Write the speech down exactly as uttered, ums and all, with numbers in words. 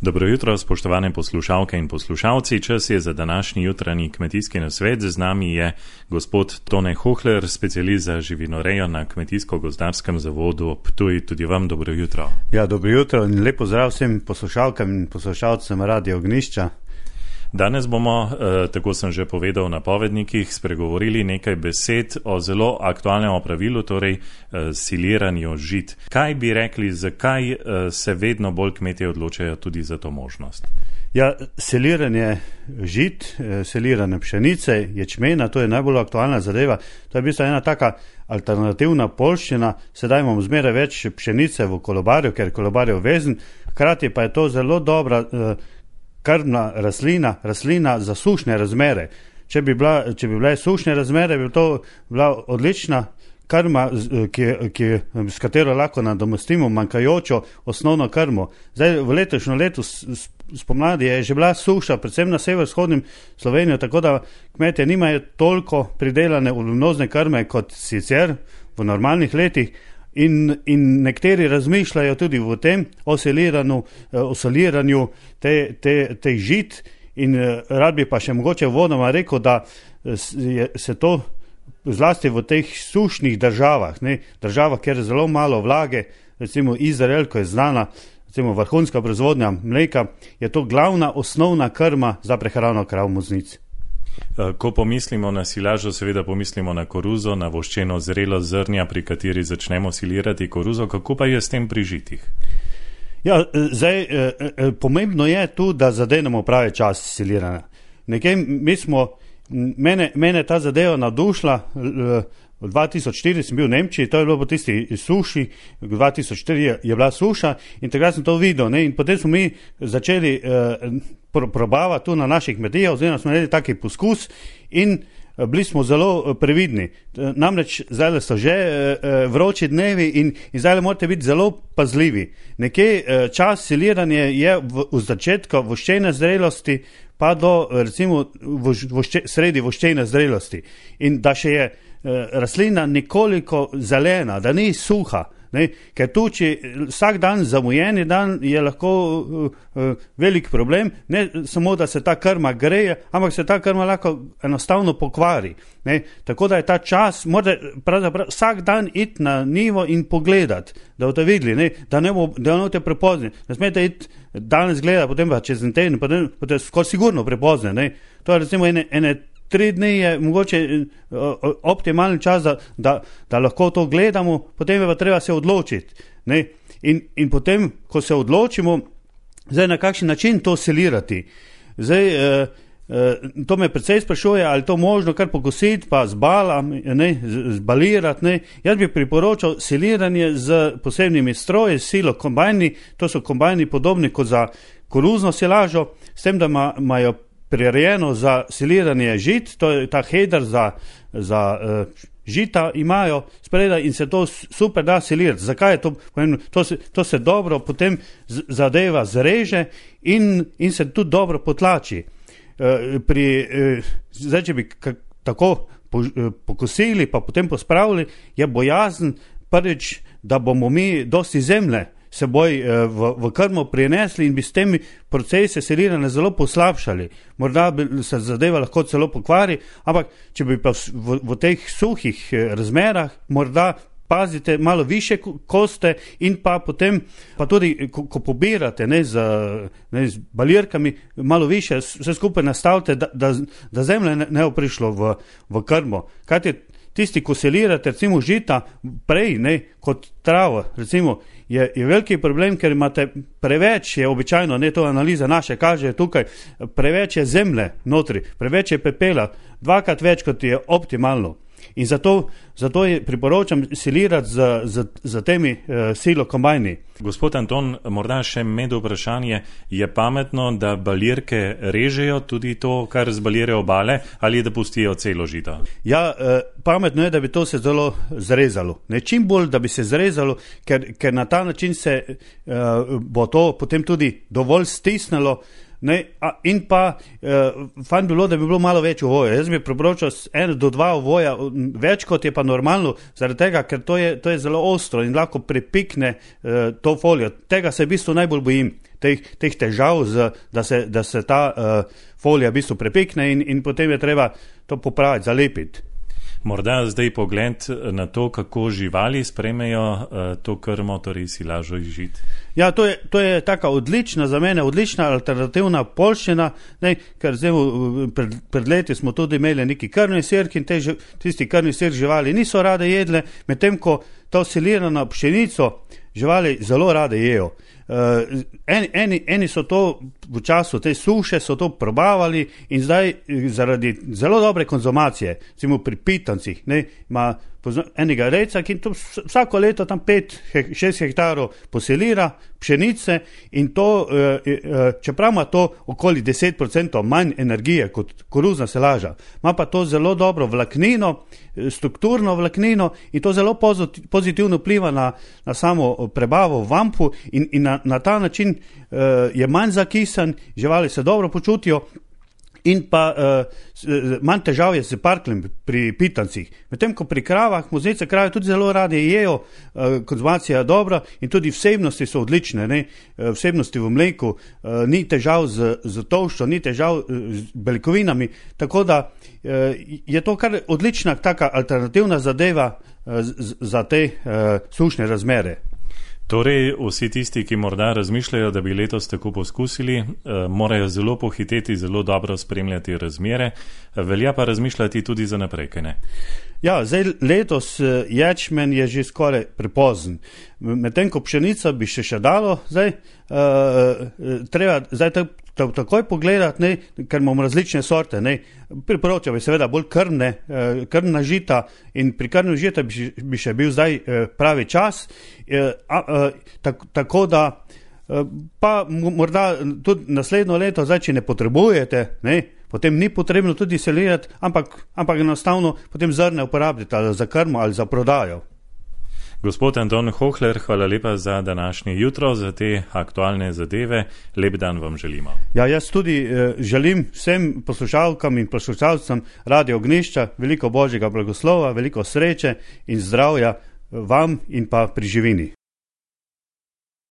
Dobro jutro, spoštovane poslušalke in poslušalci. Čas je za današnji jutranji kmetijski nasvet. Z nami je gospod Tone Hohler, specialist za živinorejo na Kmetijsko-gozdarskem zavodu Ptuj. Tudi vam dobro jutro. Ja, dobro jutro in lep pozdrav vsem poslušalkam in poslušalcem Radio Ognjišča. Danes bomo, eh, tako sem že povedal v napovednikih, spregovorili nekaj besed o zelo aktualnem opravilu, torej eh, siliranju žit. Kaj bi rekli, zakaj eh, se vedno bolj kmetje odločajo tudi za to možnost? Ja, siliranje žit, eh, siliranje pšenice, ječmena, to je najbolj aktualna zadeva. To je v bistvu ena taka alternativna poljščina. Sedaj imamo zmeraj več pšenice v kolobarju, ker kolobar je obvezen. Hkrati pa je to zelo dobra eh, krmna rastlina, rastlina za sušne razmere. Če bi, bila, če bi bile sušne razmere, bi to bila odlična krma, ki, ki, s katero lahko nadomestimo manjkajočo osnovno krmo. Zdaj, v letošnjem letu spomladi je že bila suša, predvsem na severovzhodnem Slovenijo, tako da kmetje nimajo toliko pridelane ulovnozne krme kot sicer v normalnih letih. In, in nekateri razmišljajo tudi v tem o siliranju, o siliranju te, te, te žit in rad bi pa še mogoče vodoma rekel, da je, se to zlasti v teh sušnih državah, ne, državah, kjer je zelo malo vlage, recimo Izrael, ko je znana, recimo vrhunska proizvodnja mleka, je to glavna osnovna krma za prehrano krav muznic. Ko pomislimo na silažo, seveda pomislimo na koruzo, na voščeno zrelo zrnja, pri kateri začnemo silirati koruzo. Kako pa je s tem pri žitih? Ja, zdaj, pomembno je tu, da zadenemo pravi čas siliranja. Nekaj, mi smo, mene, mene ta zadeva navdušila, v dva tisoč štiri sem bil v Nemčiji, to je bilo po tisti suši, v dva tisoč štiri je, je bila suša in takrat sem to videl, ne, in potem smo mi začeli eh, pro, probavati tu na naših kmetijah, oziroma smo imeli taki poskus in eh, bili smo zelo previdni. Namreč zdaj so že eh, vroči dnevi in, in zdaj morate biti zelo pazljivi. Nekje eh, čas siliranja je v, v začetku voščene zrelosti pa do recimo vošče, sredi voščene zrelosti in da še je rastlina nekoliko zelena, da ni suha, ne? Ker tu, če vsak dan zamujeni dan je lahko uh, uh, velik problem, ne samo, da se ta krma greje, ampak se ta krma lahko enostavno pokvari. Ne? Tako da je ta čas, morate pravzaprav vsak dan iti na nivo in pogledati, da boste videli, ne? Da ne bo, da ne boste prepozni. Ne smete iti danes gledati, potem pa čez en teden, potem boste skoraj sigurno prepozni. Ne? To je recimo ene, ene Tri dni je mogoče optimalen čas, da, da, da lahko to gledamo, potem je pa treba se odločiti. Ne? In, in potem, ko se odločimo, zdaj na kakšen način to silirati. Zdaj, eh, eh, to me precej sprašuje, ali to možno kar pokositi, pa zbala, ne, zbalirati. Ne? Jaz bi priporočal siliranje z posebnimi stroji, silo kombajni, to so kombajni podobni kot za koruzno silažo, s tem, da imajo prirejeno za siliranje žit, to je ta header za, za uh, žita imajo spredaj in se to super da silirati. Zakaj je to pomembno? To se, to se dobro potem zadeva zreže in, in se tudi dobro potlači. Uh, pri, uh, zdaj, če bi kak, tako po, uh, pokosili pa potem pospravili, je bojazen prvič, da bomo mi dosti zemlje seboj v, v krmo prinesli in bi s temi procese siliranja zelo poslabšali. Morda bi se zadeva lahko celo pokvari, ampak če bi pa v, v teh suhih razmerah morda pazite malo više koste in pa potem, pa tudi ko, ko pobirate ne, z, ne, z balirkami, malo više vse skupaj nastavite, da, da, da zemlje ne, ne bo prišlo v, v krmo. Kajti tisti, ko silirate recimo žita prej ne, kot travo, recimo, je, je veliki problem, ker imate preveč, je običajno, ne to analiza naše kaže tukaj, preveč je zemlje notri, preveč je pepela, dvakrat več, kot je optimalno. In zato, zato je priporočam silirati z, z, z temi uh, silo kombajni. Gospod Anton, morda še med vprašanje, je pametno, da balirke režejo tudi to, kar zbalirajo obale, ali da pustijo celo žito? Ja, uh, pametno je, da bi to se zelo zrezalo. Ne, čim bolj, da bi se zrezalo, ker, ker na ta način se uh, bo to potem tudi dovolj stisnilo Ne, a, in pa uh, fajn bi bilo, da bi bilo malo več ovoja. Jaz bi priporočal en do dva ovoja, več kot je pa normalno, zaradi tega, ker to je, to je zelo ostro in lahko prepikne uh, to folijo. Tega se v bistvu najbolj bojim, teh, teh težav, z, da, se, da se ta uh, folija v bistvu prepikne in, in potem je treba to popraviti, zalepiti. Morda zdaj pogled na to, kako živali sprejmejo uh, to krmo, torej silažo iz žit. Ja, to je, to je taka odlična za mene, odlična alternativna poljščina, ne, ker zdaj pred, pred leti smo tudi imeli neki krvni sir, in te, tisti krvni sir živali niso rade jedle, medtem ko to silirano pšenico živali zelo rade jejo. Uh, eni, eni, eni so to v času te suše, so to probavali in zdaj zaradi zelo dobre konzumacije, recimo pri pitancih, ne, ima enega rejca, ki to vsako leto tam pet, šest hektarov posilira pšenice in to, uh, uh, čeprav ima to okoli deset procentov manj energije kot koruzna silaža, ima pa to zelo dobro vlaknino, strukturno vlaknino in to zelo pozitivno vpliva na, na samo prebavo v vampu in, in na, na ta način uh, je manj zakisen, živali se dobro počutijo in pa uh, manj težav je z parkljem pri pitancih. Medtem ko pri kravah, muzejce krave tudi zelo radi jejo, uh, konzumacija je dobra in tudi vsebnosti so odlične, ne? Uh, vsebnosti v mleku, uh, ni težav z, z tolščo, ni težav uh, z beljakovinami, tako da uh, je to kar odlična taka alternativna zadeva uh, z, za te uh, sušne razmere. Torej, vsi tisti, ki morda razmišljajo, da bi letos tako poskusili, eh, morajo zelo pohiteti, zelo dobro spremljati razmere, velja pa razmišljati tudi za naprej, kaj ne? Ja, zdaj letos ječmen je že skoraj prepozen. Medtem ko pšenica bi še še dalo, zdaj uh, treba zdaj takoj pogledati, ne, ker imamo različne sorte. Ne. Priporočam bi seveda bolj krmne, uh, krmna žita in pri krmnem žita bi, bi še bil zdaj uh, pravi čas. Uh, uh, tak, tako da uh, pa morda tudi naslednjo leto, zdaj, če ne potrebujete, ne, potem ni potrebno tudi selirati, ampak, ampak enostavno potem zrne uporabljati ali za krmo ali za prodajo. Gospod Anton Hohler, hvala lepa za današnje jutro, za te aktualne zadeve. Lep dan vam želimo. Ja, jaz tudi eh, želim vsem poslušalkam in poslušalcem Radio Ognjišča veliko božjega blagoslova, veliko sreče in zdravja vam in pa pri živini.